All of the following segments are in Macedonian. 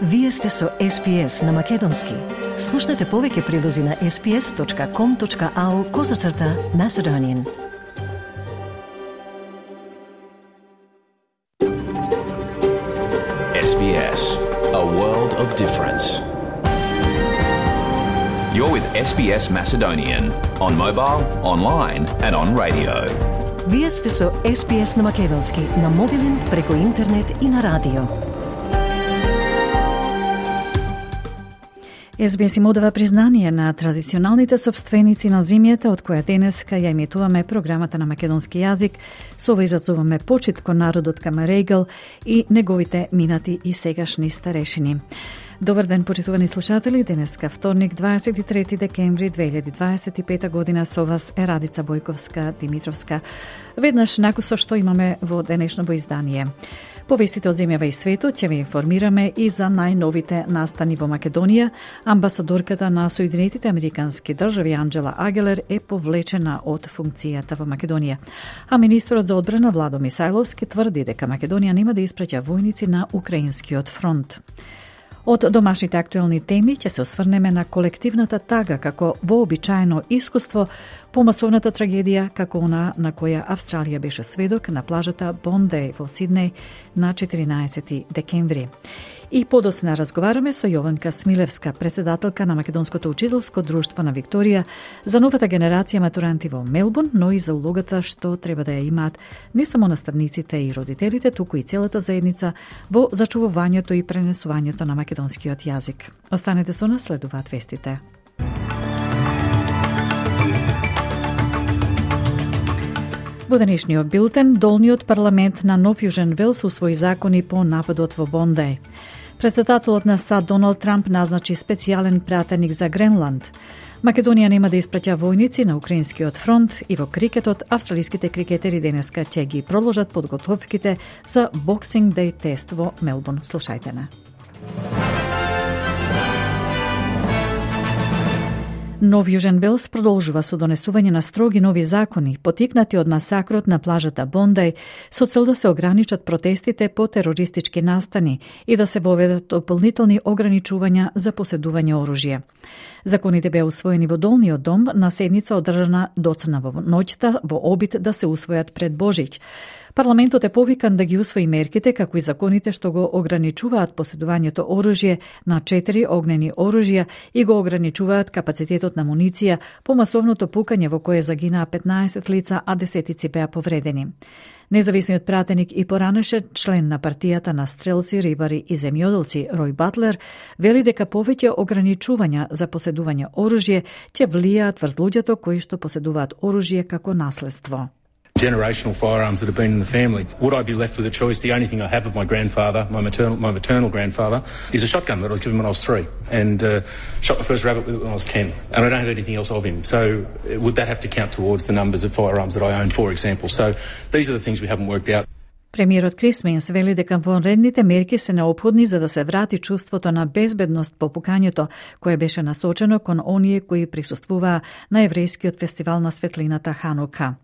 Вие сте со SPS на Македонски. Слушнете повеќе прилози на sps.com.au/Macedonian. SBS, a world of difference. You're with SBS Macedonian on mobile, online and on radio. Вие сте со SPS на Македонски на мобилен, преку интернет и на радио. SBS им одава признание на традиционалните собственици на земјата, од која денеска ја емитуваме програмата на македонски јазик. Со ова изразуваме почит кон народот Камарегал и неговите минати и сегашни старешини. Добар ден, почитувани слушатели. Денеска вторник, 23 декември 2025 година, со вас е Радица Бојковска-Димитровска. Веднаш накусо што имаме во денешното издание. Повестите од земјава и светот ќе ви информираме и за најновите настани во Македонија. Амбасадорката на Соединетите Американски држави Анџела Агелер е повлечена од функцијата во Македонија. А министрот за одбрана Владо Мисајловски тврди дека Македонија нема да испраќа војници на украинскиот фронт. Од домашните актуелни теми ќе се осврнеме на колективната тага како вообичаено искуство по масовната трагедија како она на која Австралија беше сведок на плажата Бондеј во Сиднеј на 14 декември. И подоцна разговараме со Јованка Смилевска, председателка на Македонското учителско друштво на Викторија, за новата генерација матуранти во Мелбурн, но и за улогата што треба да ја имаат не само наставниците и родителите, туку и целата заедница во зачувувањето и пренесувањето на македонскиот јазик. Останете со нас, следуваат вестите. Во денешниот билтен, долниот парламент на Нов Јужен Велс усвои закони по нападот во Бондеј. Председателот на САД Доналд Трамп назначи специјален пратеник за Гренланд. Македонија нема да испраќа војници на украинскиот фронт и во крикетот австралиските крикетери денеска ќе ги продолжат подготовките за Boxing Day тест во Мелбурн. Слушајте на. Нов Јужен Велс продолжува со донесување на строги нови закони, потикнати од масакрот на плажата Бондеј, со цел да се ограничат протестите по терористички настани и да се воведат дополнителни ограничувања за поседување оружје. Законите беа усвоени во Долниот дом на седница одржана доцна во ноќта во обид да се усвојат пред Божиќ. Парламентот е повикан да ги усвои мерките, како и законите што го ограничуваат поседувањето оружје на 4 огнени оружја и го ограничуваат капацитетот на муниција по масовното пукање во кое загинаа 15 лица, а десетици беа повредени. Независниот пратеник и поранеше член на партијата на стрелци, рибари и земјоделци Рој Батлер вели дека повеќе ограничувања за поседување оружје ќе влијаат врз луѓето кои што поседуваат оружје како наследство. Generational firearms that have been in the family. Would I be left with a choice? The only thing I have of my grandfather, my maternal grandfather, is a shotgun that I was given when I was 3, and shot my first rabbit with it when I was 10. And I don't have anything else of him. So would that have to count towards the numbers of firearms that I own, for example? So these are the things we haven't worked out. Премиерот Крис Минс вели дека вонредните мерки се неопходни за да се врати чувството на безбедност по пукањето, кое беше насочено кон оние кои присуствуваа на еврејскиот фестивал на светлината Ханука.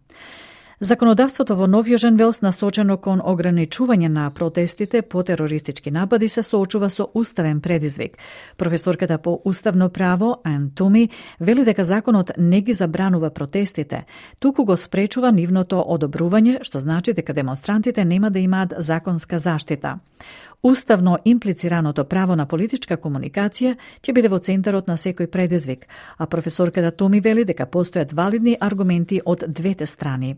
Законодавството во Нов Јужен Велс насочено кон ограничување на протестите по терористички напади се соочува со уставен предизвик. Професорката по уставно право Ан Туми вели дека законот не ги забранува протестите, туку го спречува нивното одобрување, што значи дека демонстрантите нема да имаат законска заштита. Уставно имплицираното право на политичка комуникација ќе биде во центарот на секој предизвик, а професорката Томи вели дека постојат валидни аргументи од двете страни.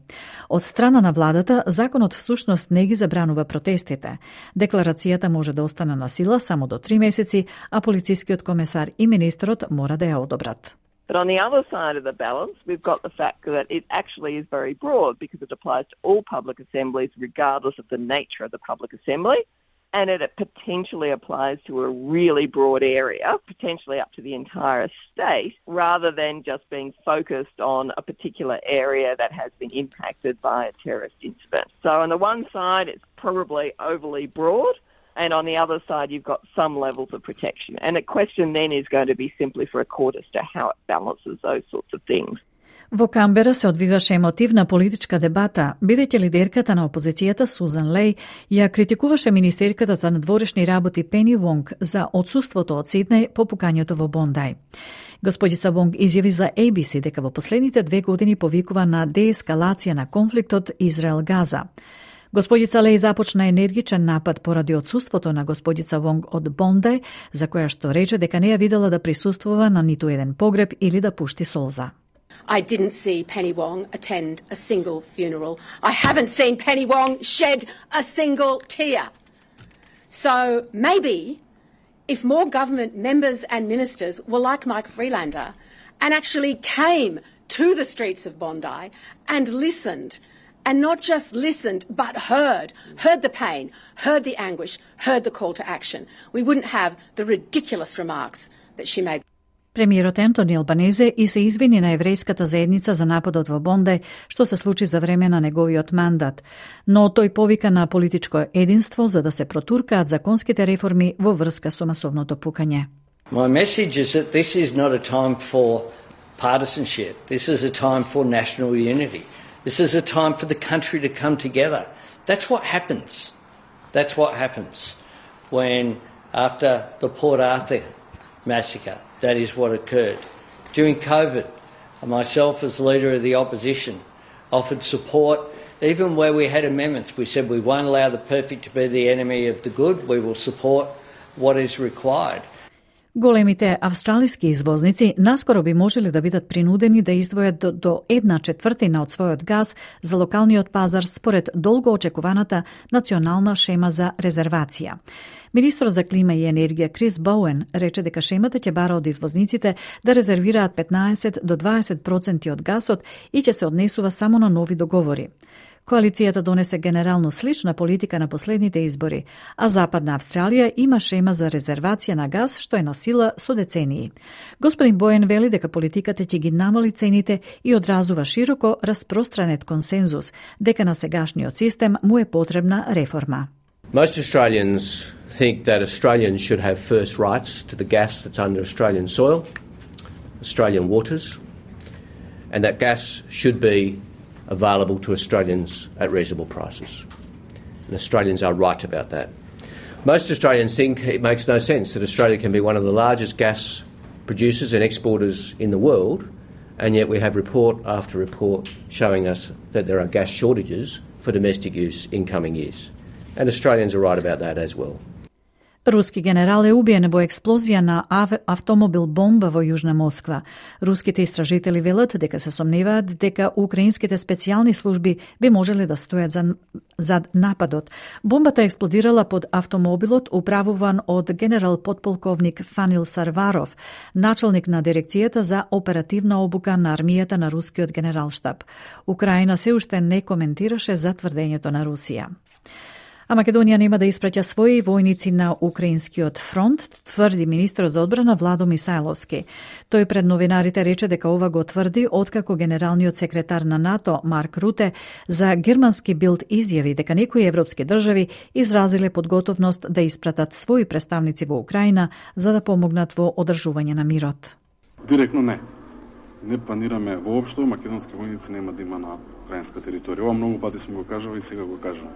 Од страна на владата, законот всушност не ги забранува протестите. Декларацијата може да остане на сила само до 3 месеци, а полицискиот комесар и министрот мора да ја одобрат. But on the other side of the balance, we've got the fact that it actually is very broad because it applies to all public assemblies regardless of the nature of the public assembly. And it potentially applies to a really broad area, potentially up to the entire state, rather than just being focused on a particular area that has been impacted by a terrorist incident. So on the one side, it's probably overly broad, and on the other side, you've got some levels of protection. And the question then is going to be simply for a court as to how it balances those sorts of things. Во Камбера се одвиваше емотивна политичка дебата, бидејќи лидерката на опозицијата Сузан Леј ја критикуваше министерката за надворешни работи Пени Вонг за отсуството од Сиднеј по пукањето во Бондај. Господица Вонг изјави за ABC дека во последните 2 години повикува на деескалација на конфликтот Израел-Газа. Господица Леј започна енергичен напад поради отсуството на господица Вонг од Бондај, за која што рече дека не ја видела да присуствува на ниту еден погреб или да пушти солза. I didn't see Penny Wong attend a single funeral. I haven't seen Penny Wong shed a single tear. So maybe if more government members and ministers were like Mike Freelander and actually came to the streets of Bondi and listened, and not just listened but heard the pain, heard the anguish, heard the call to action, we wouldn't have the ridiculous remarks that she made. Премиерот Ентони Албанезе и се извини на еврејската заедница за нападот во Бондај, што се случи за време на неговиот мандат, но тој повика на политичко единство за да се протуркаат законските реформи во врска со масовното пукање. My message is that this is not a time for partisanship. This is a time for national unity. This is a time for the country to come together. That's what happens. That's what happens when, after the Port Arthur massacre, that is what occurred. During COVID, myself as leader of the opposition offered support even where we had amendments. We said we won't allow the perfect to be the enemy of the good. We will support what is required. Големите австралиски извозници наскоро би можеле да бидат принудени да издвојат до 1/4 од својот газ за локалниот пазар според долго очекуваната национална шема за резервација. Министрот за клима и енергија Крис Боуен рече дека шемата ќе бара од извозниците да резервираат 15 до 20% од газот и ќе се однесува само на нови договори. Коалицијата донесе генерално слична политика на последните избори, а Западна Австралија има шема за резервација на газ што е на сила со децении. Господин Боен вели дека политиката ќе ги намали цените и одразува широко распространет консензус дека на сегашниот систем му е потребна реформа. Most Australians think that Australians should have first rights to the gas that's under Australian soil, Australian waters, and that gas should be available to Australians at reasonable prices. And Australians are right about that. Most Australians think it makes no sense that Australia can be one of the largest gas producers and exporters in the world, and yet we have report after report showing us that there are gas shortages for domestic use in coming years. And Australians are right about that as well. Руски генерал е убиен во експлозија на автомобил бомба во Јужна Москва. Руските истражители велат дека се сомневаат дека украинските специјални служби би можеле да стојат зад нападот. Бомбата експлодирала под автомобилот управуван од генерал подполковник Фанил Сарваров, началник на дирекцијата за оперативна обука на армијата на рускиот генералштаб. Украина се уште не коментираше за тврдењето на Русија. А Македонија нема да испраќа своји војници на украинскиот фронт, тврди министрот за одбрана Владо Мисајловски. Тој пред новинарите рече дека ова го тврди откако генералниот секретар на НАТО Марк Руте за германски Билд изјави дека некои европски држави изразиле подготовност да испратат своји представници во Украина за да помогнат во одржување на мирот. Директно не. Не планираме воопшто македонски војници нема да има на украинска територија. Ова многу пати сме го кажали и сега го кажам.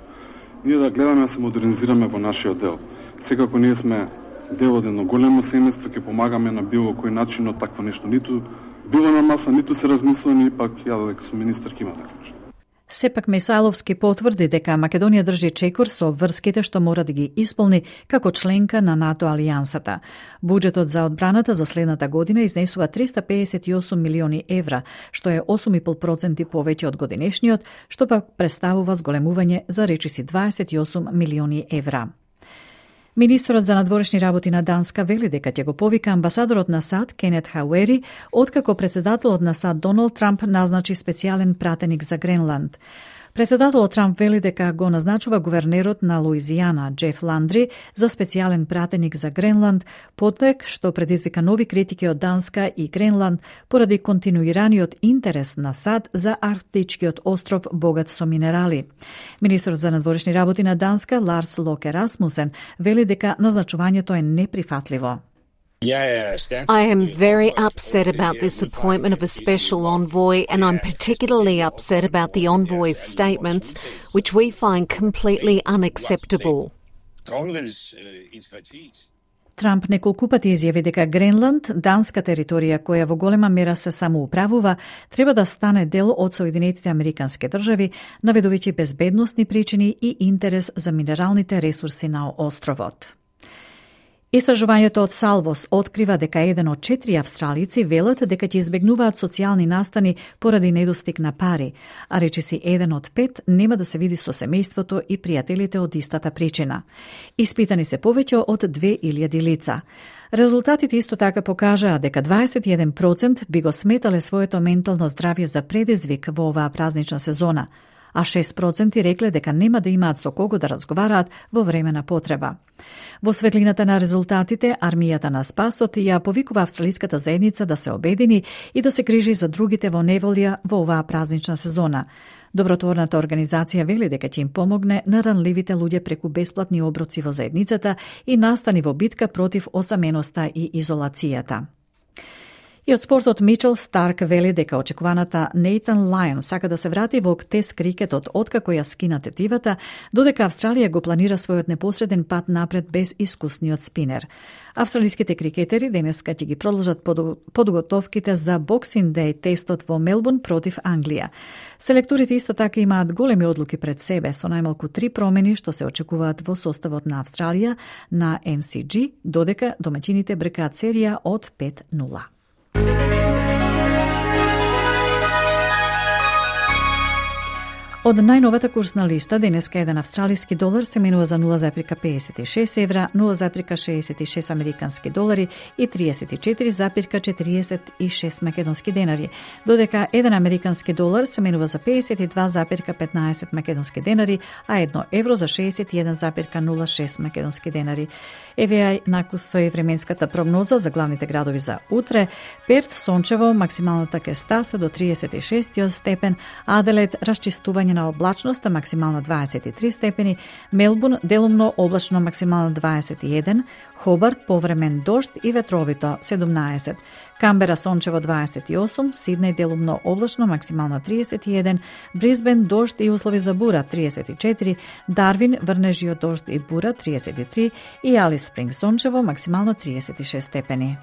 Ние да гледаме да се модернизираме во нашиот дел. Секако ние сме дел од едно големо семејство, ќе помагаме на било кој начин, но такво нешто ниту било на маса, ниту се размислува, пак ја дека сум министар ќе има такво нешто. Сепак Мисајловски потврди дека Македонија држи чекор со обврските што мора да ги исполни како членка на НАТО алијансата. Буџетот за одбраната за следната година изнесува 358 милиони евра, што е 8,5% повеќе од годинешниот, што пак представува зголемување за речиси 28 милиони евра. Министрот за надворешни работи на Данска вели дека ќе го повика амбасадорот на САД Кенет Хауери, откако председателот на САД Доналд Трамп назначи специјален пратеник за Гренланд. Председателот Трамп вели дека го назначува гувернерот на Луизијана Джеф Ландри за специјален пратеник за Гренланд, потек што предизвика нови критики од Данска и Гренланд поради континуираниот интерес на САД за арктичкиот остров богат со минерали. Министрот за надворешни работи на Данска Ларс Локе Расмусен вели дека назначувањето е неприфатливо. I am very upset about this appointment of a special envoy, and I'm particularly upset about the envoy's statements, which we find completely unacceptable. Трамп неколку пати изјави дека Гренланд, данска територија која во голема мера се самоуправува, треба да стане дел од Соединетите Американски држави, наведувајќи безбедносни причини и интерес за минералните ресурси на островот. Истражувањето од Салвос открива дека 1 од 4 австралици велат дека ќе избегнуваат социјални настани поради недостиг на пари, а речиси 1 од 5 нема да се види со семејството и пријателите од истата причина. Испитани се повеќе од 2000 лица. Резултатите исто така покажаа дека 21% би го сметале своето ментално здравје за предизвик во оваа празнична сезона, а 6% рекле дека нема да имаат со кого да разговараат во време на потреба. Во светлината на резултатите, армијата на спасот ја повикува австралиската заедница да се обедини и да се грижи за другите во неволја во оваа празнична сезона. Добротворната организација вели дека ќе им помогне на ранливите луѓе преку бесплатни оброци во заедницата и настани во битка против осаменоста и изолацијата. И од спортот Мичел Старк вели дека очекуваната Нейтан Лајон сака да се врати во тест крикетот откако ја скина тетивата, додека Австралија го планира својот непосреден пат напред без искусниот спинер. Австралиските крикетери денеска ќе ги продолжат подготовките за Боксинг Деј тестот во Мелбурн против Англија. Селекторите исто така имаат големи одлуки пред себе, со најмалку 3 промени што се очекуваат во составот на Австралија на MCG, додека домаќините бркаат серија од 5-0. Од најновата курсна листа, денеска еден австралиски долар се менува за 0,56 евра, 0,66 американски долари и 34,46 македонски денари, додека еден американски долар се менува за 52,15 македонски денари, а 1 евро за 61,06 македонски денари. Еве накус со временската прогноза за главните градови за утре. Перт сончево, максималната ке стаса до 36 степен, Аделаид расчистување на облачноста, максимална 23 степени, Мелбурн делумно облачно, максимална 21, Хобарт повремен дожд и ветровито 17, Камбера сончево 28, Сиднеј делумно облачно, максимална 31, Брисбен дожд и услови за бура 34, Дарвин врнежи од дожд и бура 33 и Алис Спринг сончево, максимално 36 степени.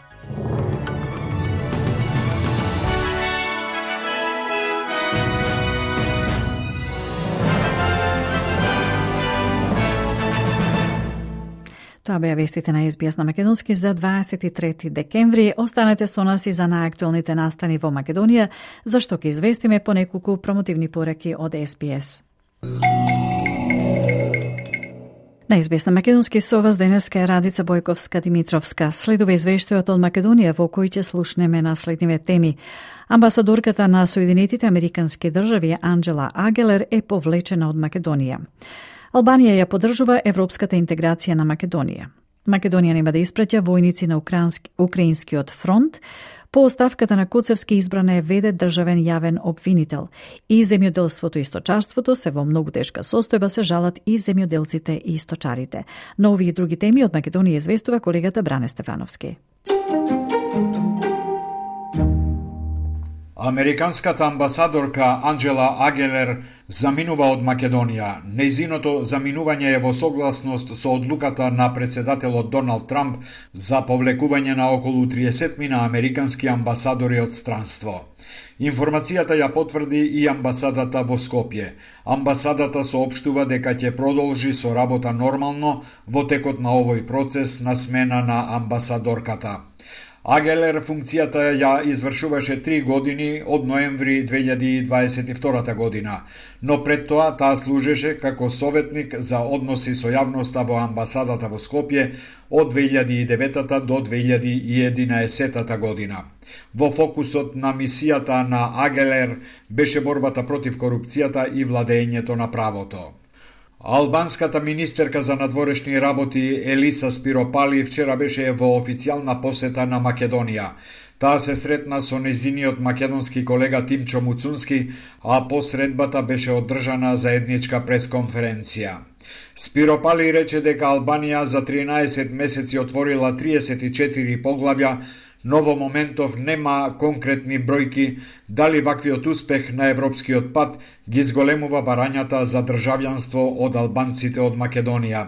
Тоа беа вестите на SBS на Македонски за 23 декември. Останете со нас и за најактуелните настани во Македонија, зашто ќе известиме по неколку промотивни пораки од SBS. На SBS на Македонски со вас денеска е Радица Бојковска-Димитровска. Следува извештајот од Македонија во кој ќе слушнеме на следниве теми. Амбасадорката на Соединетите Американски држави Анджела Агелер е повлечена од Македонија. Албанија ја поддржува европската интеграција на Македонија. Македонија нема да испраќа војници на Украинскиот фронт. По оставката на Коцевски избрана е веде државен јавен обвинител. И земјоделството и сточарството се во многу тешка состојба, се жалат и земјоделците и сточарите. На овие и други теми од Македонија известува колегата Бране Стефановски. Американската амбасадорка Анджела Агелер заминува од Македонија. Нејзиното заминување е во согласност со одлуката на председателот Доналд Трамп за повлекување на околу 30 американски амбасадори од странство. Информацијата ја потврди и амбасадата во Скопје. Амбасадата соопштува дека ќе продолжи со работа нормално во текот на овој процес на смена на амбасадорката. Агелер функцијата ја извршуваше 3 години од ноември 2022 година, но пред тоа таа служеше како советник за односи со јавноста во амбасадата во Скопје од 2009 до 2011 година. Во фокусот на мисијата на Агелер беше борбата против корупцијата и владењето на правото. Албанската министерка за надворешни работи Елиса Спиропали вчера беше во официјална посета на Македонија. Таа се сретна со нејзиниот македонски колега Тимчо Муцунски, а по средбата беше одржана заедничка пресконференција. Спиро Пали рече дека Албанија за 13 месеци отворила 34 поглавја, но во моментов нема конкретни бројки дали ваквиот успех на европскиот пат ги зголемува барањата за државјанство од албанците од Македонија.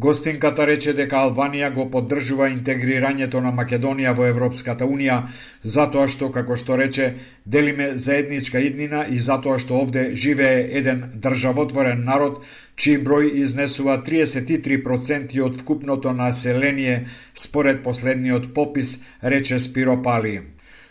Гостинката рече дека Албанија го поддржува интегрирањето на Македонија во Европската Унија, затоа што, како што рече, делиме заедничка иднина и затоа што овде живее еден државотворен народ, чиј број изнесува 33% од вкупното население според последниот попис, рече Спиро Пали.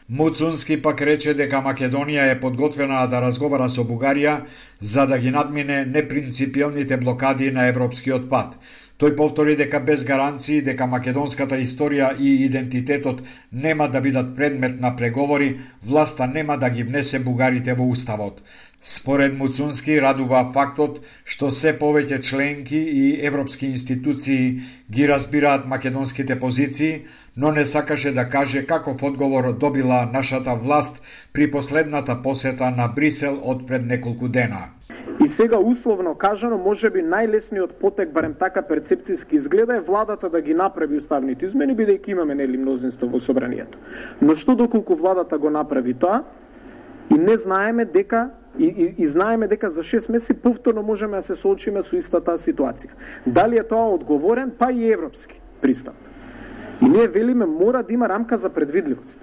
Муцунски пак рече дека Македонија е подготвена да разговара со Бугарија за да ги надмине непринципиелните блокади на европскиот пат. Тој повтори дека без гаранции дека македонската историја и идентитетот нема да бидат предмет на преговори, власта нема да ги внесе бугарите во уставот. Според Муцунски радува фактот што се повеќе членки и европски институции ги разбираат македонските позиции, но не сакаше да каже каков одговор добила нашата власт при последната посета на Брисел од пред неколку дена. И сега условно кажано, можеби најлесниот потек, барем така перцепцијски изгледа, е владата да ги направи уставните измени, бидејќи имаме нели мнозинство во собранието. Но што доколку владата го направи тоа и не знаеме дека и знаеме дека за 6 месеци повторно можеме да се соочиме со истата ситуација. Дали е тоа одговорен, па и европски пристап. И ние велиме мора да има рамка за предвидливост.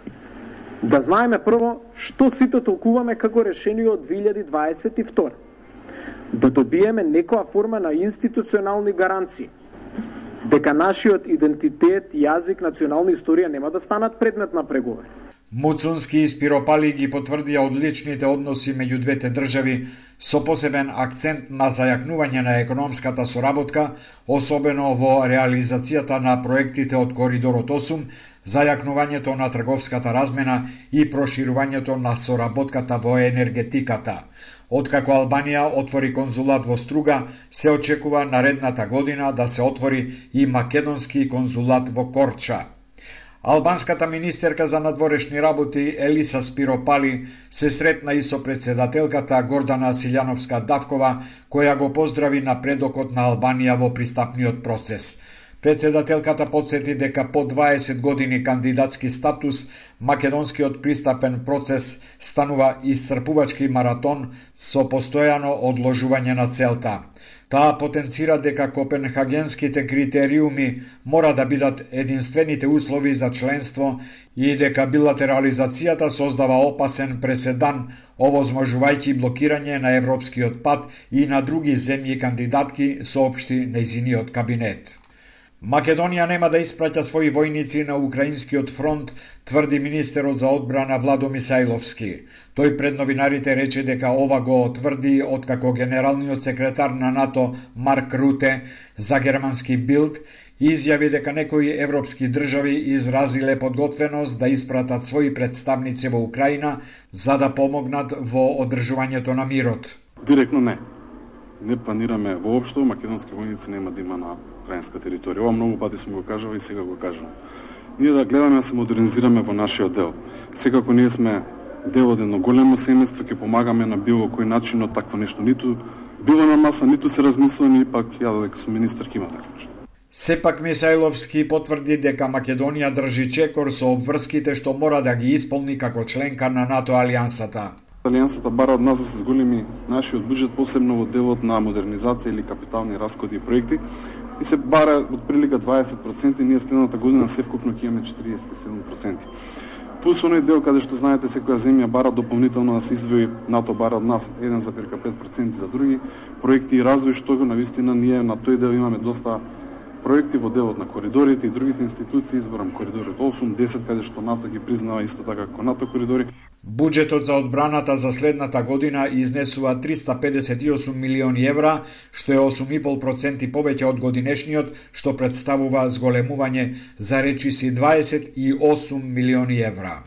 Да знаеме прво што сите толкуваме како решение од 2022. Да добиеме некоја форма на институционални гаранции дека нашиот идентитет, јазик, национална историја нема да станат предмет на преговори. Муцунски и Спиро Пали ги потврдија одличните односи меѓу двете држави со посебен акцент на зајакнување на економската соработка, особено во реализацијата на проектите од Коридорот 8, зајакнувањето на трговската размена и проширувањето на соработката во енергетиката. Откако Албанија отвори конзулат во Струга, се очекува наредната година да се отвори и македонски конзулат во Корча. Албанската министерка за надворешни работи Елиса Спиро Пали се сретна и со председателката Гордана Силјановска-Давкова, која го поздрави напредокот на Албанија во пристапниот процес. Председателката подсети дека по 20 години кандидатски статус, македонскиот пристапен процес станува исцрпувачки маратон со постојано одложување на целта. Таа потенцира дека копенхагенските критериуми мора да бидат единствените услови за членство и дека билатерализацијата создава опасен преседан, овозможувајќи блокирање на европскиот пат и на други земји кандидатки, соопшти нејзиниот кабинет. Македонија нема да испраќа своји војници на украинскиот фронт, тврди министерот за одбрана Владо Мисајловски. Тој пред новинарите рече дека ова го тврди откако генералниот секретар на НАТО Марк Руте за германски Билд изјави дека некои европски држави изразиле подготвеност да испратат своји представници во Украина за да помогнат во одржувањето на мирот. Директно не. Не планираме воопшто македонски војници нема да има на украинска територија. Ова многу пати сум го кажал и сега го кажам. Ние да гледаме да се модернизираме во нашиот дел. Секако ние сме дел од едно големо семејство, ќе помагаме на било кој начин, но такво нешто ниту било на маса, ниту се размислува, ни пак ја додека сум министер ќе има такво нешто. Сепак Мисајловски потврди дека Македонија држи чекор со обврските што мора да ги исполни како членка на НАТО алијансата. Алијансата бара од нас да се зголеми нашиот буџет, посебно во делот на модернизација или капитални расходи и проекти, и се бара од прилика 20%, и ние следната година севкупно ќе имаме 47%. Плюс оној дел каде што знаете секоја земја бара дополнително да се издвои, НАТО бара од нас 1,5% за други проекти и развој, што го навистина ние на тој дел имаме доста проекти во делот на коридорите и другите институции, изборам коридорот 8, 10, каде што НАТО ги признава исто така како НАТО коридори. Буџетот за одбраната за следната година изнесува 358 милиони евра, што е 8,5% повеќе од годинешниот, што представува зголемување за речиси 28 милиони евра.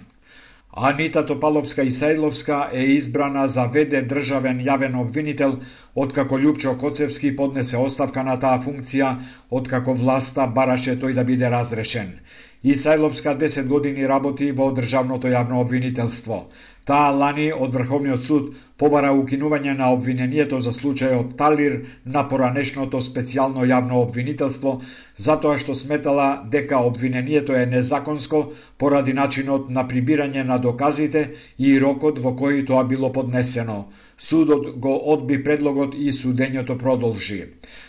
Анита Топаловска-Исајловска е избрана за ВД државен јавен обвинител откако Љупчо Коцевски поднесе оставка на таа функција, откако власта бараше тој да биде разрешен. Исајловска 10 години работи во Државното јавно обвинителство. Таа лани од Врховниот суд побара укинување на обвинението за случајот Талир на поранешното специјално јавно обвинителство, затоа што сметала дека обвинението е незаконско поради начинот на прибирање на доказите и рокот во кој тоа било поднесено. Судот го одби предлогот и судењето продолжи.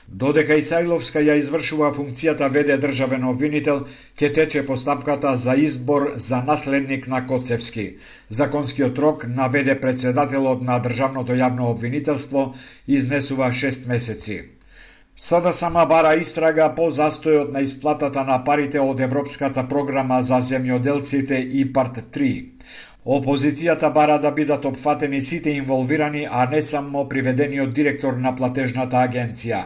Додека Исајловска ја извршува функцијата веде државен обвинител, ќе тече постапката за избор за наследник на Коцевски. Законскиот рок на веде председателот на Државното јавно обвинителство изнесува 6 месеци. Сада сама бара истрага по застојот на исплатата на парите од Европската програма за земјоделците ИПАРТ 3. Опозицијата бара да бидат опфатени сите инволвирани, а не само приведениот директор на платежната агенција.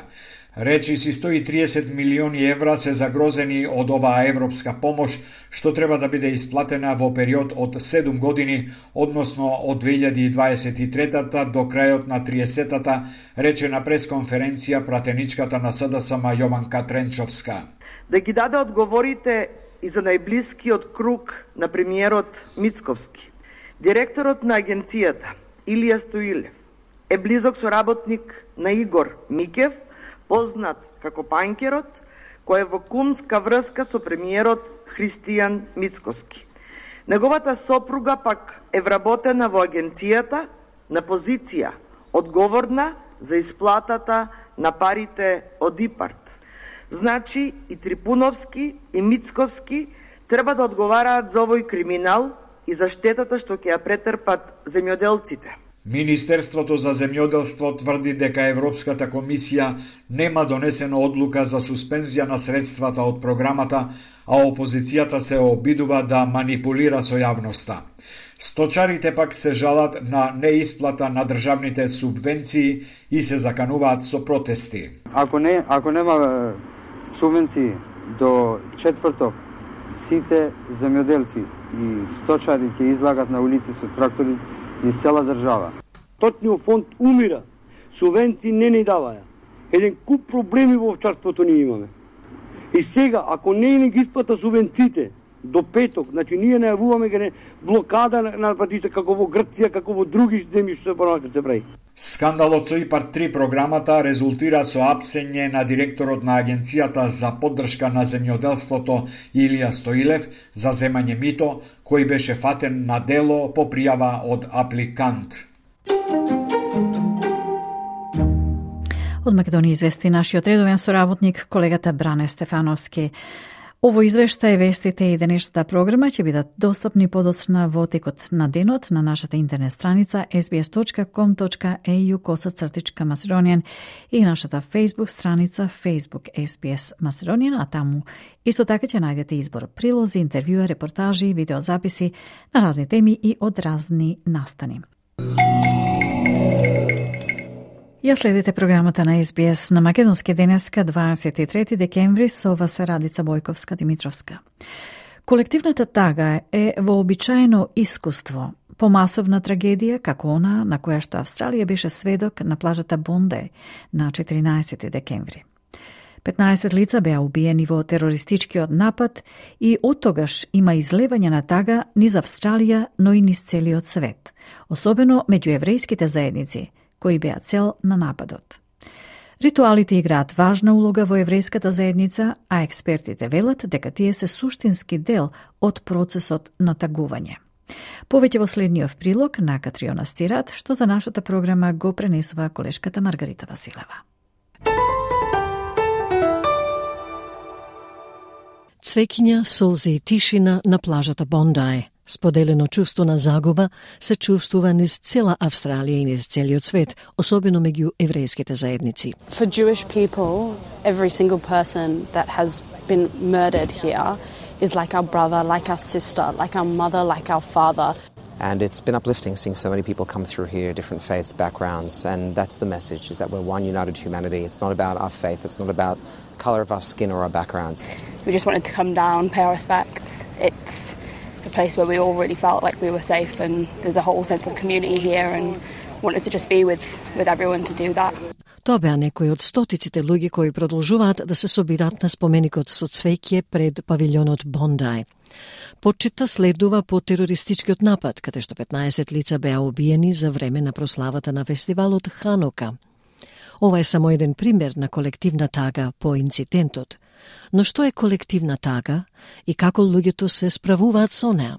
Речиси 130 милиони евра се загрозени од оваа европска помош, што треба да биде исплатена во период од 7 години, односно од 2023 до крајот на 30-та, рече на пресконференција пратеничката на СДСМ Јованка Тренчовска. Да ги даде одговорите и за најблискиот круг на премиерот Мицковски. Директорот на агенцијата Илија Стоилев е близок соработник на Игор Микев, познат како Панкерот, кој е во кумска врска со премиерот Христијан Мицковски. Неговата сопруга пак е вработена во агенцијата на позиција одговорна за исплатата на парите од ИПАРТ. Значи и Трипуновски и Мицковски треба да одговараат за овој криминал и за штетата што ќе ја претрпат земјоделците. Министерството за земјоделство тврди дека Европската комисија нема донесена одлука за суспензија на средствата од програмата, а опозицијата се обидува да манипулира со јавноста. Сточарите пак се жалат на неисплата на државните субвенции и се закануваат со протести. Ако нема субвенции до четврток, сите земјоделци и сточари ќе излагат на улици со трактори из цела држава. Точниот фонд умира, субвенции не ни даваја. Еден куп проблеми во овчарството ни имаме. И сега, ако не ги исплата субвенциите до петок, значи ние најавуваме блокада на патишта како во Грција, како во други земји што се прави. Скандалот со ИПАРТ 3 програмата резултира со апсење на директорот на Агенцијата за поддршка на земјоделството Илија Стоилев за земање мито, кој беше фатен на дело по пријава од апликант. Од Македонија извести нашиот редовен соработник, колегата Бране Стефановски. Ово извештај, вестите и денешната програма ќе бидат достапни подоцна во текот на денот на нашата интернет страница sbs.com.au/Macedonian и нашата Facebook страница Facebook SBS Macedonian, а таму исто така ќе најдете избор прилози, интервјуа, репортажи, видеозаписи на разни теми и од разни настани. Ја следите програмата на SBS на Македонски денеска 23 декември со вас Радица Бојковска-Димитровска. Колективната тага е вообичаено искуство по масовна трагедија како она на која што Австралија беше сведок на плажата Бонде на 14 декември. 15 лица беа убиени во терористичкиот напад и оттогаш има излевање на тага низ Австралија, но и низ целиот свет, особено меѓу еврејските заедници, кои беа цел на нападот. Ритуалите играат важна улога во еврејската заедница, а експертите велат дека тие се суштински дел од процесот на тагување. Повеќе во следниот прилог на Катриона Стират, што за нашата програма го пренесува колешката Маргарита Василева. Цвеќиња, солзи и тишина на плажата Бондај. Споделено чувство на загуба се чувствува низ цела Австралија и низ целиот свет, особено меѓу еврејските заедници. For Jewish people, every single person that has been murdered here is like our brother, like our sister, like our mother, like our father. And it's been uplifting seeing so many people come through here, different faiths, backgrounds, and that's the message, is that we're one united humanity. It's not about our faith, it's not about the colour of our skin or our backgrounds. We just wanted to come down, pay our respects. It's a place where we all really felt like we were safe, and there's a whole sense of community here, and wanted to just be with everyone to do that. Тоа беа некои од стотиците луѓе кои продолжуваат да се собираат на споменикот со цвеќе пред павилјонот Бондај. Почитта следува по терористичкиот напад, каде што 15 лица беа убиени за време на прославата на фестивалот Ханука. Ова е само еден пример на колективна тага по инцидентот. Но што е колективна тага и како луѓето се справуваат со неа?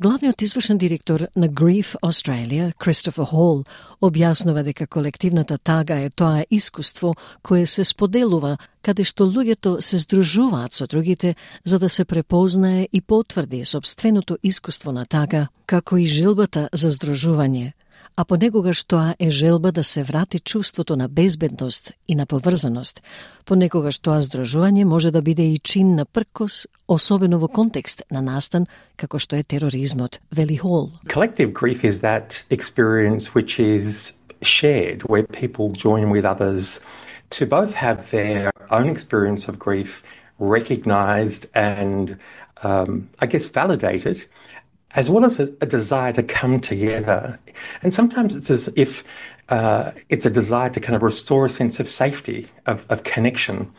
Главниот извршен директор на Grief Australia, Christopher Hall, објаснува дека колективната тага е тоа искуство кое се споделува, каде што луѓето се здружуваат со другите за да се препознае и потврди сопственото искуство на тага, како и желбата за здружување, а понекогаш тоа е желба да се врати чувството на безбедност и на поврзаност. Понекогаш тоа здружување може да биде и чин на пркос, особено во контекст на настан како што е тероризмот, вели Хол. Collective grief is that experience which is shared, where people join with others to both have their own experience of grief recognised and, validated, as well as a desire to come together. And sometimes it's as if it's a desire to kind of restore a sense of safety, of connection.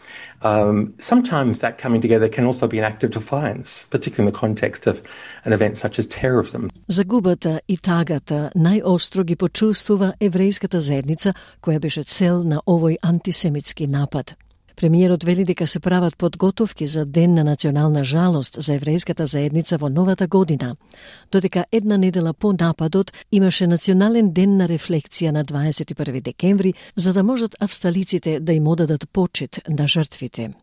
Sometimes that coming together can also be an act of defiance, particularly in the context of an event such as terrorism. Загубата и тагата најостро ги почувствува еврејската заедница, која беше цел на овој антисемитски напад. Премиерот вели дека се прават подготовки за Ден на национална жалост за еврејската заедница во новата година, додека една недела по нападот имаше национален ден на рефлексија на 21 декември, за да можат австралиците да им одадат почит на жртвите.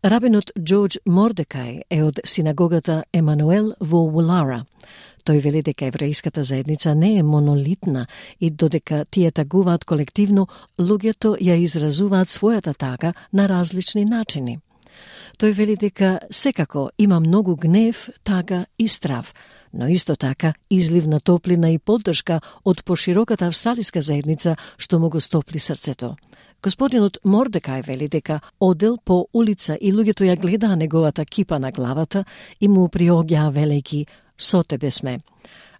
Рабинот Джордж Мордекај е од синагогата Емануел во Улара. Тој вели дека еврејската заедница не е монолитна и додека тие тагуваат колективно, луѓето ја изразуваат својата тага на различни начини. Тој вели дека секако има многу гнев, тага и страв, но исто така излив на топлина и поддршка од пошироката австралиска заедница што му го стопли срцето. Господинот Мордекај вели дека одел по улица и луѓето ја гледаа неговата кипа на главата и му приоѓаа велејки "Со тебе сме".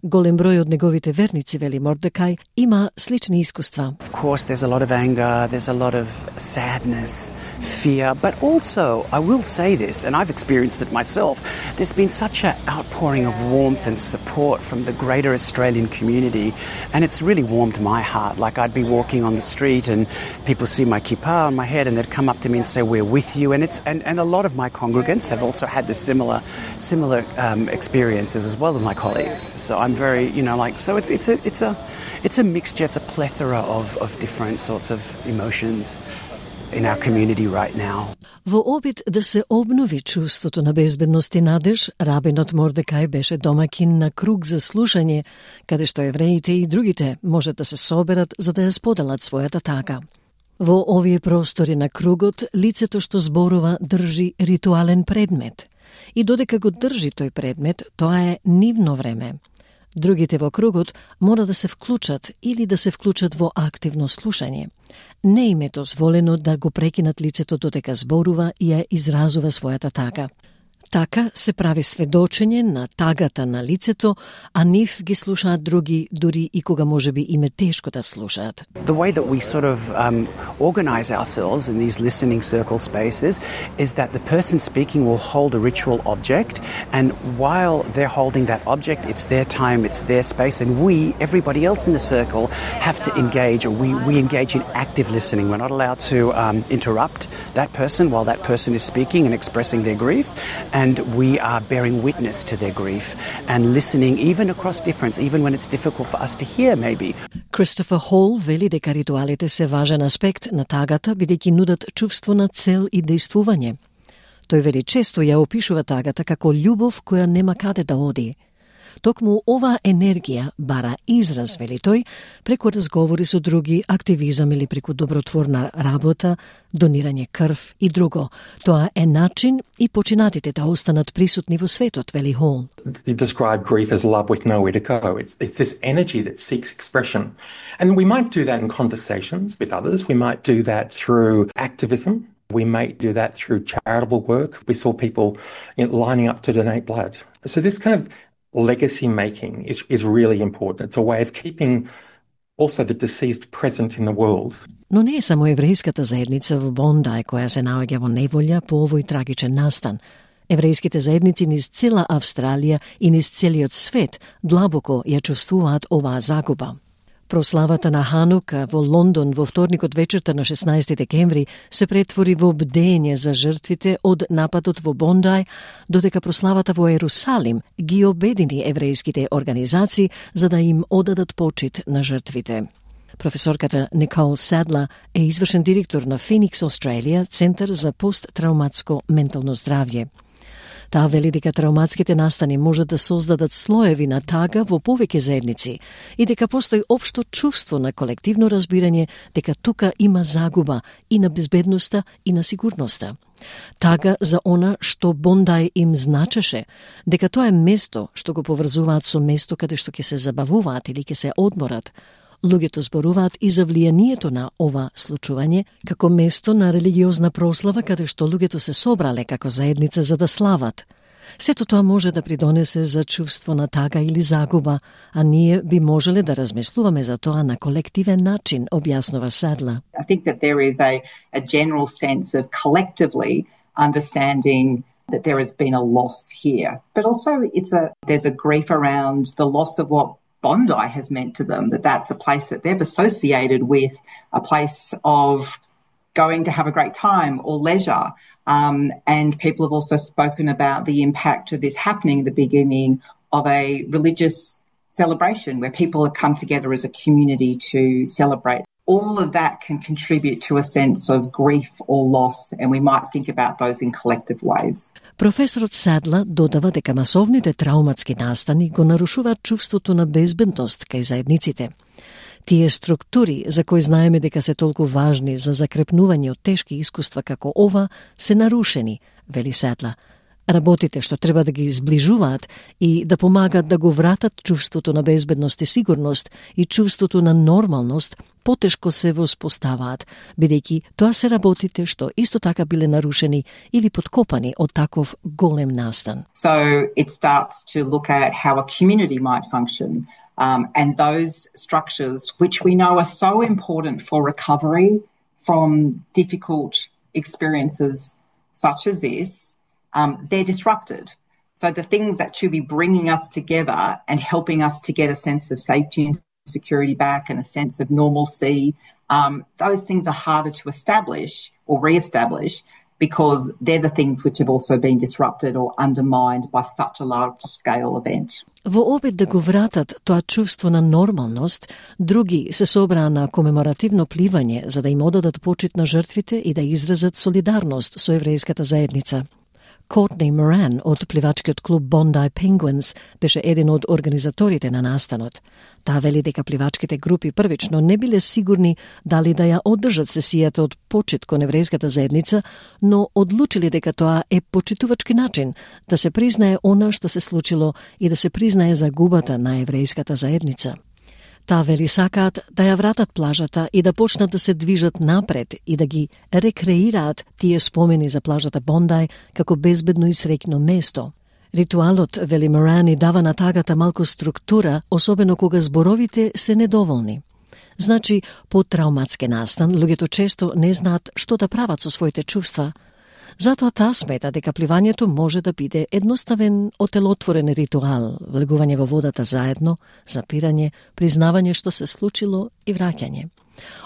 Голем број од неговите верници, вели Мордекај, има слични искуства. Of course, there's a lot of anger, there's a lot of sadness, fear, but also, I will say this, and I've experienced it myself, there's been such an outpouring of warmth and support from the greater Australian community, and it's really warmed my heart. Like, I'd be walking on the street and people see my kippah on my head and they'd come up to me and say, "We're with you," and a lot of my congregants have also had this similar experiences as well as my colleagues. So I'm very, so it's a mixture, it's a plethora of different sorts of emotions in our community right now. Во обид да се обнови чувството на безбедност и надеж, рабинот Мордекај беше домакин на круг за слушање, каде што евреите и другите можат да се соберат за да ја споделат својата тага. Во овие простори на кругот, лицето што зборува држи ритуален предмет. И додека го држи тој предмет, тоа е нивно време. Другите во кругот мора да се вклучат или да се вклучат во активно слушање. Не им е дозволено да го прекинат лицето додека зборува и ја изразува својата тага. Така се прави сведочење на тагата на лицето, а нив ги слушаат други, дури и кога можеби им е тешко да слушаат. The way that we sort of organize ourselves in these listening circle spaces is that the person speaking will hold a ritual object, and while they're holding that object, it's their time, it's their space, and we, everybody else in the circle, have to engage, or we engage in active listening. We're not allowed to interrupt that person while that person is speaking and expressing their grief. And we are bearing witness to their grief and listening even across difference, even when it's difficult for us to hear, maybe. Christopher Hall вели дека ритуалите се важен аспект на тагата, бидејќи нудат чувство на цел и действување. Тој вели често ја опишува тагата како љубов која нема каде да оди. Токму ова енергија бара израз, вели тој, преку разговори со други, активизам или преку добротворна работа, донирање крв и друго. Тоа е начин и починатите да останат присутни во светот, вели Хол. You describe grief as love with nowhere to go. It's this energy that seeks expression. And we might do that in conversations with others. We might do that through activism. We might do that through charitable work. We saw people lining up to donate blood. So this kind of legacy making is really important. It's a way of keeping also the deceased present in the world. Но не е само еврејската заедница во Бондај која се наоѓа во неволја по овој трагичен настан. Еврејските заедници низ цела Австралија и низ целиот свет длабоко ја чувствуваат оваа загуба. Прославата на Ханука во Лондон во вторникот вечерта на 16 декември се претвори во бдење за жртвите од нападот во Бондај, додека прославата во Ерусалим ги обедини еврејските организации за да им одадат почит на жртвите. Професорката Никол Садла е извршен директор на Феникс Australia, Центар за посттрауматско ментално здравје. Таа вели дека трауматските настани можат да создадат слоеви на тага во повеќе заедници и дека постои општо чувство на колективно разбирање дека тука има загуба и на безбедноста и на сигурноста. Тага за она што Бондај им значеше, дека тоа е место што го поврзуваат со место каде што ќе се забавуваат или ќе се одморат. Луѓето зборуваат и за влијанието на ова случување како место на религиозна прослава каде што луѓето се собрале како заедница за да слават. Сето тоа може да придонесе за чувство на тага или загуба, а ние би можеле да размислуваме за тоа на колективен начин, објаснува Садла. I think that there is a general sense of collectively understanding that there has been a loss here. But also there's a grief around the loss of what Bondi has meant to them, that's a place that they've associated with a place of going to have a great time or leisure. And people have also spoken about the impact of this happening at the beginning of a religious celebration where people have come together as a community to celebrate. All of that can contribute to a sense of grief or loss, and we might think about those in collective ways. Професорот Садла додава дека масовните трауматски настани го нарушуваат чувството на безбедност кај заедниците. Тие структури, за кои знаеме дека се толку важни за закрепнување од тешки искуства како ова, се нарушени, вели Садла. Работите што треба да ги зближуваат и да помагат да го вратат чувството на безбедност и сигурност и чувството на нормалност потешко се воспоставаат, бидејќи тоа се работите што исто така биле нарушени или подкопани од таков голем настан. So it starts to look at how a community might function and those structures which we know are so important for recovery from difficult experiences such as this. They're disrupted. So the things that should be bringing us together and helping us to get a sense of safety and security back and a sense of normalcy, those things are harder to establish or re-establish because they're the things which have also been disrupted or undermined by such a large-scale event. Во обид да го вратат тоа чувство на нормалност, други се собраа на комеморативно пливање за да им одадат почит на жртвите и да изразат солидарност со еврејската заедница. Courtney Moran од пливачкиот клуб Bondi Penguins беше еден од организаторите на настанот. Таа вели дека пливачките групи првично не биле сигурни дали да ја одржат сесијата од почит кон еврејската заедница, но одлучили дека тоа е почитувачки начин да се признае она што се случило и да се признае загубата на еврејската заедница. Таа вели сакаат да ја вратат плажата и да почнат да се движат напред и да ги рекреираат тие спомени за плажата Бондај како безбедно и среќно место. Ритуалот, вели Морани, дава на тагата малку структура, особено кога зборовите се недоволни. Значи, по трауматски настан, луѓето често не знаат што да прават со своите чувства. Затоа таа смета дека пливањето може да биде едноставен отелотворен ритуал, влегување во водата заедно, запирање, признавање што се случило и враќање.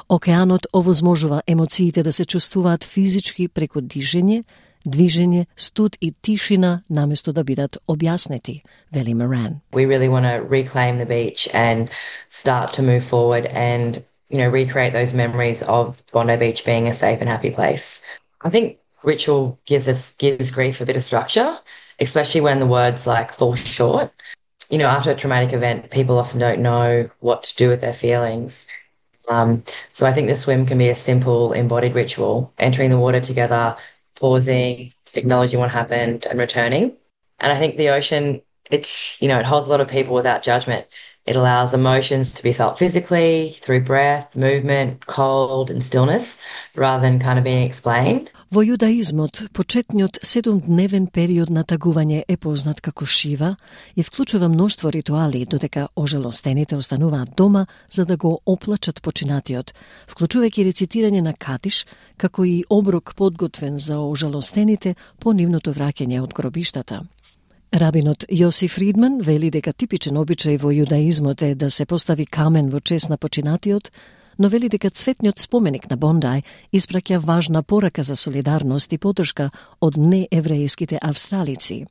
Океанот овозможува емоциите да се чувствуваат физички преку дишење, движење, студ и тишина наместо да бидат објаснети, вели Моран. We really want to reclaim the beach and start to move forward and, recreate those memories of Bondi Beach being a safe and happy place. I think ritual gives grief a bit of structure, especially when the words fall short. After a traumatic event, people often don't know what to do with their feelings. So I think the swim can be a simple embodied ritual, entering the water together, pausing, acknowledging what happened and returning. And I think the ocean, it holds a lot of people without judgment. It allows emotions to be felt physically, through breath, movement, cold and stillness, rather than kind of being explained. Во јудаизмот, почетниот 7-дневен период на тагување е познат како Шива и вклучува мноштво ритуали, додека ожалостените остануваат дома за да го оплачат починатиот, вклучувајќи рецитирање на кадиш, како и оброк подготвен за ожалостените по нивното враќање од гробиштата. Рабинот Јоси Фридман вели дека типичен обичај во јудаизмот е да се постави камен во чест на починатиот, но вели дека цветниот споменик на Бондај испраќа важна порака за солидарност и поддршка од нееврејските австралици.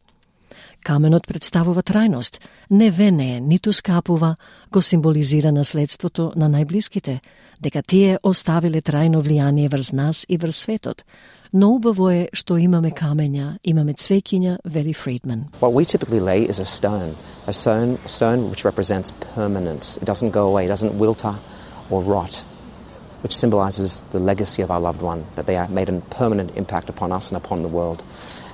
Каменот представува трајност, не венее, ниту скапува, го символизира наследството на најблиските, дека тие оставиле трајно влијание врз нас и врз светот. Но убаво е што имаме камења, имаме цвеќиња, вели Фридман. What we typically lay is a stone which represents permanence. It doesn't go away, it doesn't wilter or rot, which symbolizes the legacy of our loved one, that they made a permanent impact upon us and upon the world.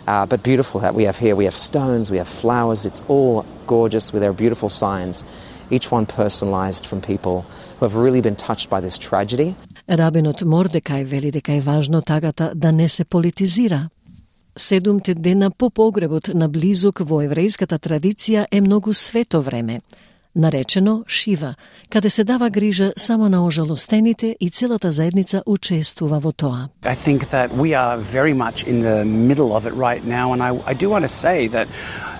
But beautiful that we have here. We have stones, we have flowers. It's all gorgeous with their beautiful signs, each one personalized from people who have really been touched by this tragedy. Рабинот Мордекај вели дека е важно тагата да не се политизира. 7 дена по погребот на близок во еврејската традиција е многу свето време, наречено Шива, каде се дава грижа само на ожалостените и целата заедница учествува во тоа. I think that we are very much in the middle of it right now, and I do want to say that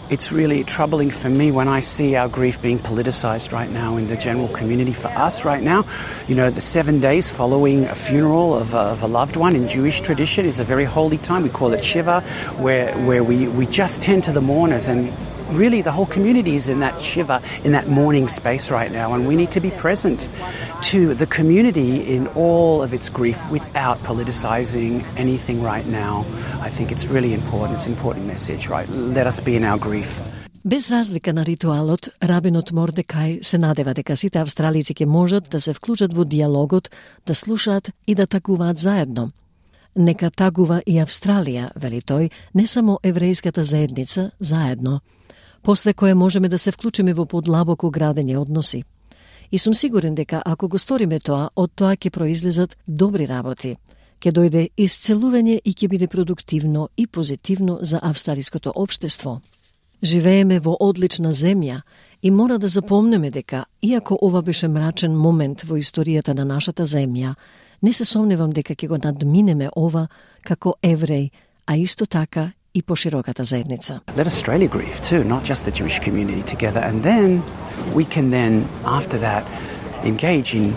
it's really troubling for me when I see our grief being politicized right now in the general community. For us right now, you know, the 7 days following a funeral of a loved one in Jewish tradition is a very holy time. We call it Shiva, where we just tend to the mourners, and really the whole community is in that Shiva, in that mourning space right now, and we need to be present to the community in all of its grief without politicizing anything right now. I think it's really important. It's an important message, right? Let us be in our grief. Без разлика на ритуалот, рабинот Мордекај се надева дека сите австралици ќе можат да се вклучат во диалогот, да слушаат и да тагуваат заедно. Нека тагува и Австралија, вели тој, не само еврејската заедница, заедно, после кое можеме да се вклучиме во подлабоко градење односи. И сум сигурен дека ако го сториме тоа, од тоа ќе произлезат добри работи. Ќе дојде исцелување и ќе биде продуктивно и позитивно за австралиското општество. Живееме во одлична земја и мора да запомнеме дека, иако ова беше мрачен момент во историјата на нашата земја, не се сомневам дека ќе го надминеме ова како евреј, а исто така и пошироката заедница. Let Australia grieve too, not just the Jewish community together, and then we can after that engage in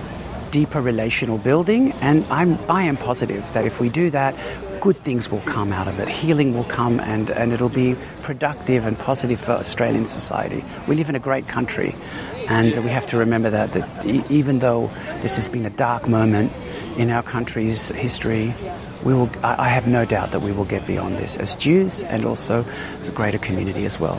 deeper relational building, and I am positive that if we do that, good things will come out of it. Healing will come, and it'll be productive and positive for Australian society. We live in a great country, and we have to remember that even though this has been a dark moment in our country's history, I have no doubt that we will get beyond this as Jews and also the greater community as well.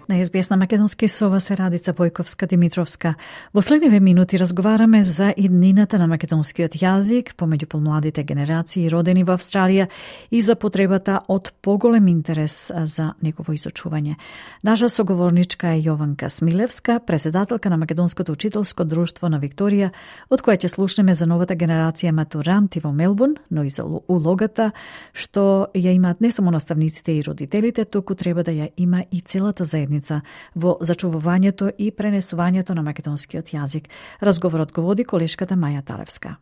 На СБС на македонски со вас е Радица Бојковска-Димитровска. Во следниве минути разговараме за иднината на македонскиот јазик помеѓу помладите генерации родени во Австралија и за потребата од поголем интерес за негово изучување. Наша соговорничка е Јованка Смилевска, председателка на Македонското учителско друштво на Викторија, од која ќе слушнеме за новата генерација матуранти во Мелбурн, но и за улогата што ја имаат не само наставниците и родителите, туку треба да ја има и целата заедница во зачувувањето и пренесувањето на македонскиот јазик. Разговорот го води колешката Маја Талевска.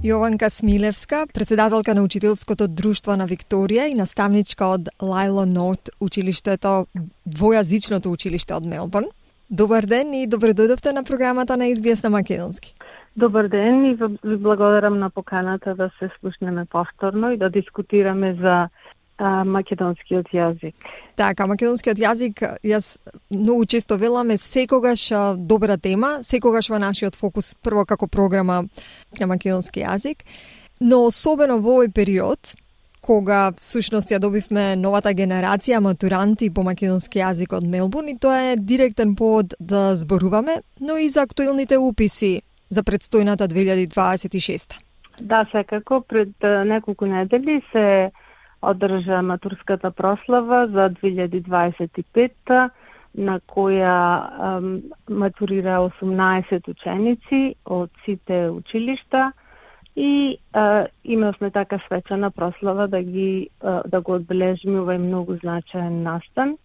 Јованка Смилевска, председателка на Учителското друштво на Викторија и наставничка од Лајло Норт, училиштето, двојазичното училиште од Мелбурн. Добар ден и добре дојдовте на програмата на СБС на македонски. Добар ден и ви благодарам на поканата да се слушнеме повторно и да дискутираме за македонскиот јазик. Така, македонскиот јазик, јас многу често велам, секогаш добра тема, секогаш во нашиот фокус прво како програма на македонски јазик, но особено во овој период, кога всушност ја добивме новата генерација матуранти по македонски јазик од Мелбурн, и тоа е директен повод да зборуваме, но и за актуелните уписи за предстојната 2026. Да, секако. Пред неколку недели се одржа матурската прослава за 2025, на која матурира 18 ученици од сите училишта и имавме така свечана прослава да го одбележиме овај многу значаен настан,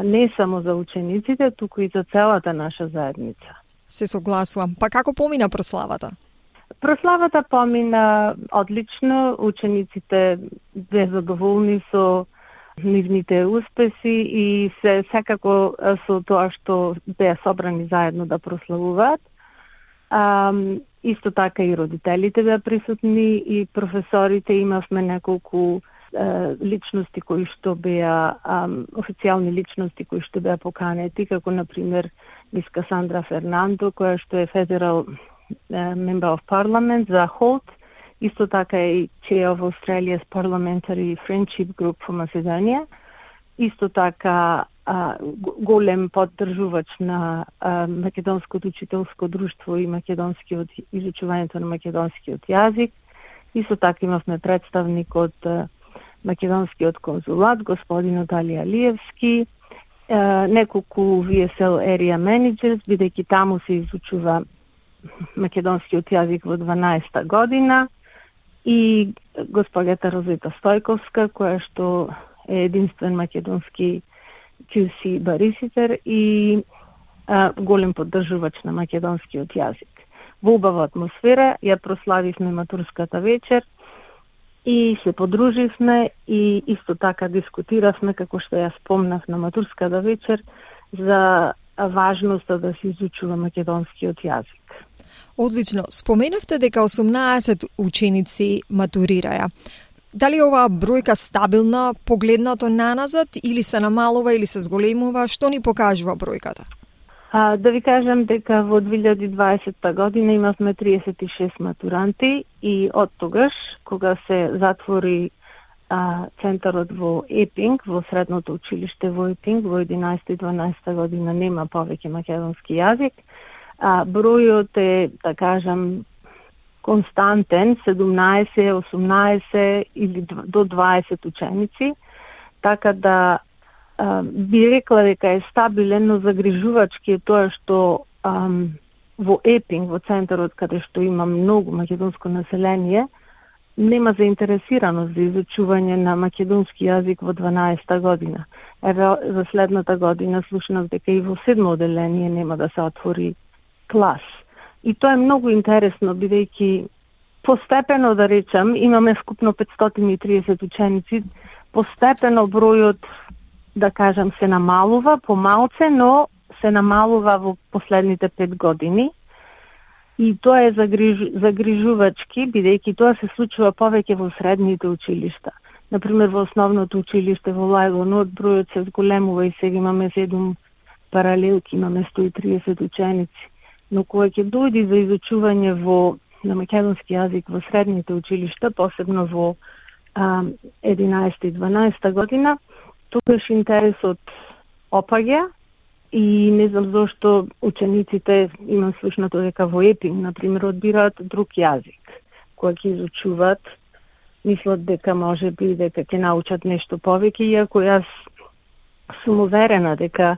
не само за учениците, туку и за целата наша заедница. Се согласувам. Па како помина прославата? Прославата помина одлично, учениците беа задоволни со нивните успеси и секако со тоа што беа собрани заедно да прославуваат. Исто така и родителите беа присутни и професорите, имавме неколку личности кои што беа официјални личности кои што беа поканети, како например мис Касандра Фернандо, која што е Federal Member of Parliament за Holt, исто така и Chair of Australia's Parliamentary Friendship Group for Macedonia, исто така голем поддржувач на Македонското учителско друштво и изучувањето на македонскиот јазик. Исто така имавме представник од Македонскиот конзулат, господин Отали Алиевски, неколку VSL Area Managers, бидејќи таму се изучува македонскиот јазик во 12-та година, и госпоѓата Розита Стојковска, која што е единствен македонски QC бариситер и голем поддржувач на македонскиот јазик. Во убава атмосфера ја прославивме матурската вечер и се подруживме и исто така дискутиравме, како што ја спомнав на матурската вечер, за важноста да се изучува македонскиот јазик. Одлично. Споменавте дека 18 ученици матурираја. Дали оваа бројка стабилна погледнато наназад или се намалува или се зголемува? Што ни покажува бројката? Да ви кажам дека во 2020 година имавме 36 матуранти и од тогаш, кога се затвори центарот во Епинг, во средното училиште во Епинг, во 11 и 12 година нема повеќе македонски јазик, бројот е, да кажам, константен, 17, 18 или до 20 ученици, така да би рекла дека е стабилен, но загрижувачки е тоа што во Епинг, во центарот каде што има многу македонско население, нема заинтересираност за изучување на македонски јазик во 12-та година. За следната година слушнав дека и во 7-о одделение нема да се отвори клас. И тоа е многу интересно, бидејќи постепено, да речам, имаме вкупно 530 ученици, постепено бројот, да кажам, се намалува помалце, но се намалува во последните 5 години. И тоа е загрижувачки, бидејќи тоа се случува повеќе во средните училишта. Например, во основното училиште во Лајлонот бројот се зголемува и сега имаме 7 паралелки, имаме 130 ученици. Но кога ќе дојде за изучување на македонски јазик во средните училишта, посебно во 11 и 12 година, тогаш интересот опаѓа и не знам зошто учениците, имам слушнато дека во Епинг, например, одбираат друг јазик. Кога ќе изучуваат, мислат дека може би дека ќе научат нешто повеќе, иако јас сум уверена дека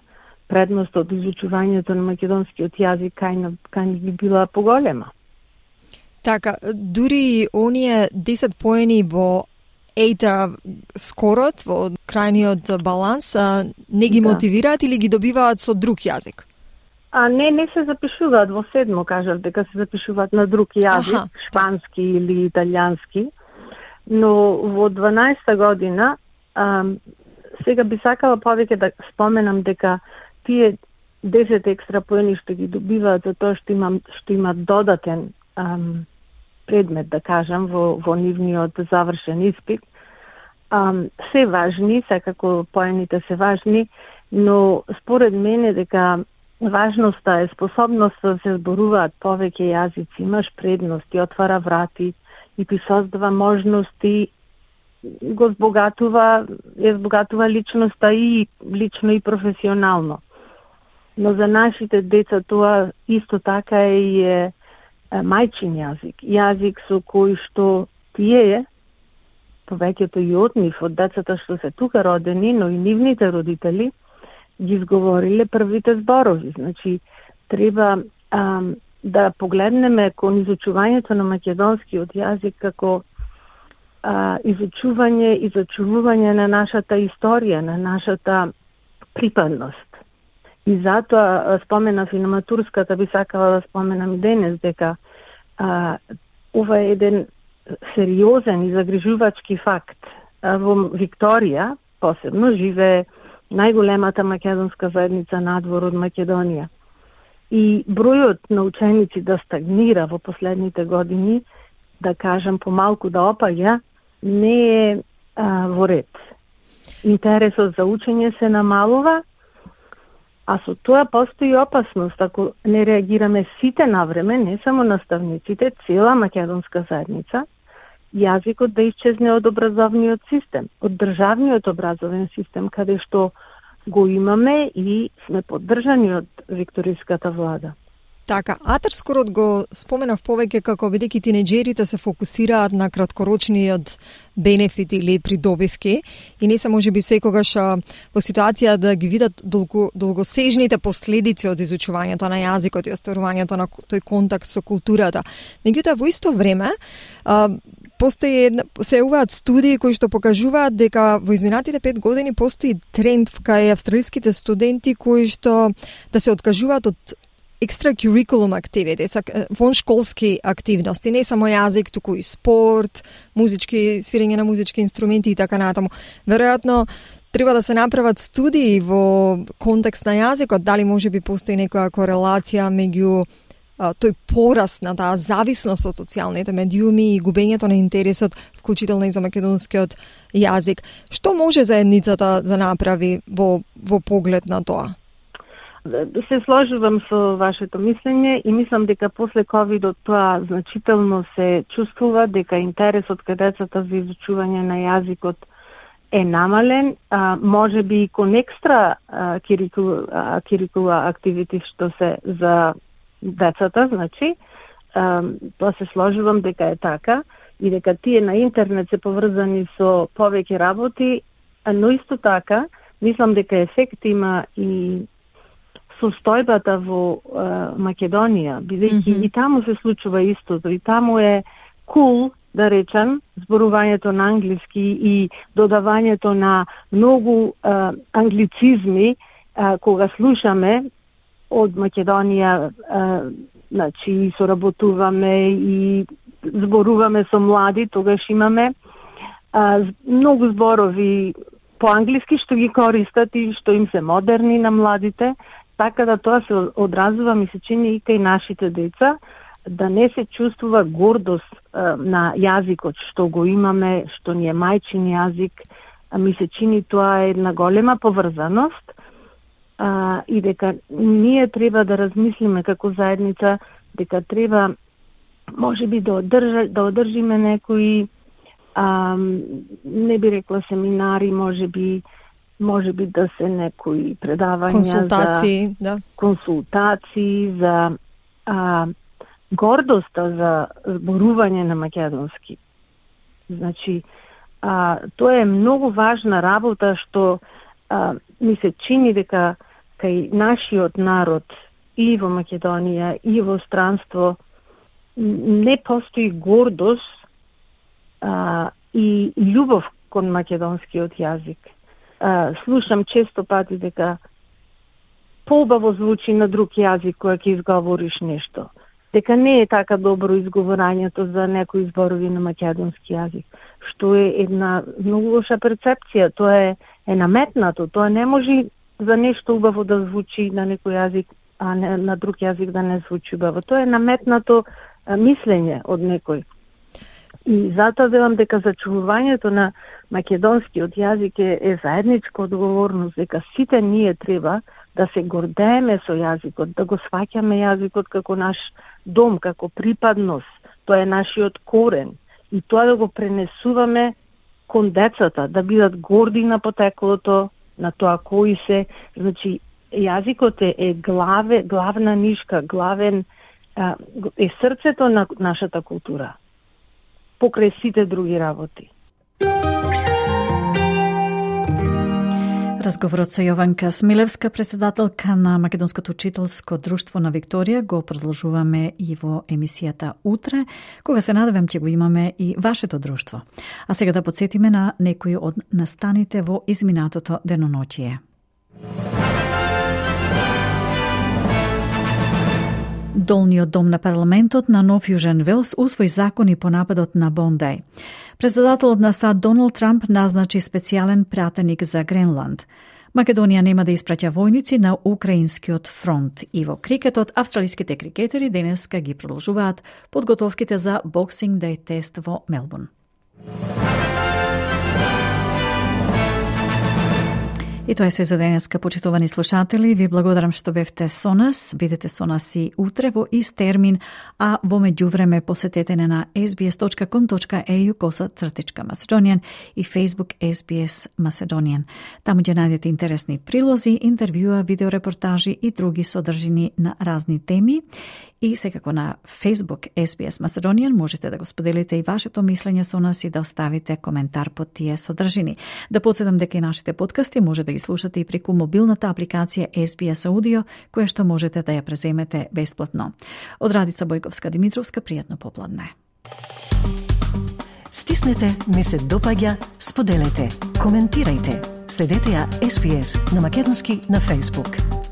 предност од изучувањето на македонскиот јазик кај би била поголема. Така, дури оние 10 поени во ЕЙТА скорот, во крајниот баланс, не ги мотивираат или ги добиваат со друг јазик? Не се запишуваат во 7-мо, кажав дека се запишуваат на друг јазик, шпански или италијански, но во 12-та година сега би сакала повеќе да споменам дека тие 10 екстра поени што ги добиваат за тоа што имат додатен предмет, да кажам, во нивниот завршен испит, се важни, секако поените се важни, но според мене дека важноста е способноста да се зборуваат повеќе јазици, имаш предности, отвара врати и ти создава можности, го збогатува личноста и лично и професионално. Но за нашите деца тоа исто така е мајчин јазик со кој што тие, повеќето и од нив, од децата што се тука родени, но и нивните родители, ги изговориле првите зборови. Значи, треба да погледнеме кон изучувањето на македонскиот јазик како изучување и зачувување на нашата историја, на нашата припадност. И затоа споменав и на матурската, би сакала да споменам и денес, дека ова е еден сериозен и загрижувачки факт. Во Викторија, посебно, живее најголемата македонска заедница надвор од Македонија. И бројот на ученици да стагнира во последните години, да кажам помалку да опаѓа, не е во ред. Интересот за учење се намалува, а со тоа постои опасност ако не реагираме сите навреме, не само наставниците, цела македонска заедница, јазикот да исчезне од образовниот систем, од државниот образовен систем, каде што го имаме и сме поддржани од викториската влада. Така, Атар скорот го споменав повеќе како бидејќи тинеџерите се фокусираат на краткорочниот бенефит или придобивки и не се можеби секогаш во ситуација да ги видат долгосежните последици од изучувањето на јазикот и остварувањето на тој контакт со културата. Меѓутоа, во исто време, се јавуваат студии кои што покажуваат дека во изминатите 5 години постои тренд кај австралиските студенти кои што да се откажуваат од extracurriculum activities, воншколски активности, не само јазик, туку и спорт, музички, свирење на музички инструменти и така натаму. Веројатно треба да се направат студии во контекст на јазикот, дали може би постои некоја корелација меѓу тој пораст на таа зависност од социјалните медиуми и губењето на интересот, вклучително и за македонскиот јазик. Што може заедницата да направи во поглед на тоа? Се сложувам со вашето мислење и мислам дека после ковидот тоа значително се чувствува, дека интересот кај децата за изучување на јазикот е намален, може би и кон екстра curricular activities што се за децата, значи, тоа се сложувам дека е така и дека тие на интернет се поврзани со повеќе работи, но исто така мислам дека ефект има и состојбата во Македонија, бидејќи и таму се случува истото, и таму е cool, да речем, зборувањето на англиски и додавањето на многу англицизми кога слушаме од Македонија, значи соработуваме и зборуваме со млади, тогаш имаме многу зборови по англиски што ги користат и што им се модерни на младите. Така да тоа се одразува, ми се чини и кај нашите деца, да не се чувствува гордост на јазикот што го имаме, што ни е мајчин јазик. Ми се чини тоа е една голема поврзаност и дека ние треба да размислиме како заедница, дека треба можеби да одржиме некои, не би рекла семинари, можеби да се некои предавања консултации за гордоста за зборување на македонски. Значи, тоа е многу важна работа што ми се чини дека кај нашиот народ и во Македонија и во странство не постои гордост и љубов кон македонскиот јазик. Слушам често пати дека поубаво звучи на друг јазик кога ќе изговориш нешто. Дека не е така добро изговорањето за некои зборови на македонски јазик, што е една многу лоша перцепција. Тоа е наметнато, тоа не може за нешто убаво да звучи на некој јазик, а на друг јазик да не звучи убаво. Тоа е наметнато мислење од некој. И затоа велам дека зачувувањето на македонскиот јазик е заедничка одговорност, дека сите ние треба да се гордееме со јазикот, да го сваќаме јазикот како наш дом, како припадност. Тоа е нашиот корен. И тоа да го пренесуваме кон децата, да бидат горди на потеклото, на тоа кои се. Значи, јазикот е главна нишка, главен е срцето на нашата култура, покрај сите други работи. Разговорот со Јованка Смилевска, председателка на Македонското учителско друштво на Викторија, го продолжуваме и во емисијата утре, кога се надевам ќе го имаме и вашето друштво. А сега да подсетиме на некои од настаните во изминатото деноноќие. Долниот дом на парламентот на Нов Јужен Велс усвои закони по нападот на Бондај. Председателот на САД Доналд Трамп назначи специјален пратеник за Гренланд. Македонија нема да испраќа војници на украинскиот фронт. И во крикетот, австралиските крикетери денеска ги продолжуваат подготовките за Boxing Day тест во Мелбурн. И тоа е се за денеска, почитувани слушатели. Ви благодарам што бевте со нас. Бидете со нас и утре во ист термин, а во меѓувреме посетете на sbs.com.au/Macedonian и Facebook SBS Macedonian. Таму ќе најдете интересни прилози, интервјуа, видеорепортажи и други содржини на разни теми. И секако на Facebook SBS Macedonian можете да го споделите и вашето мислење со нас и да оставите коментар под тие содржини. Да подсетам дека и нашите подкасти може да ги слушате и преку мобилната апликација SBS Audio, која што можете да ја преземете бесплатно. Од Радица Бојковска Димитровска, пријатно попладне. Стиснете, ми се допаѓа, споделете, коментирајте. Следете ја SBS на македонски на Facebook.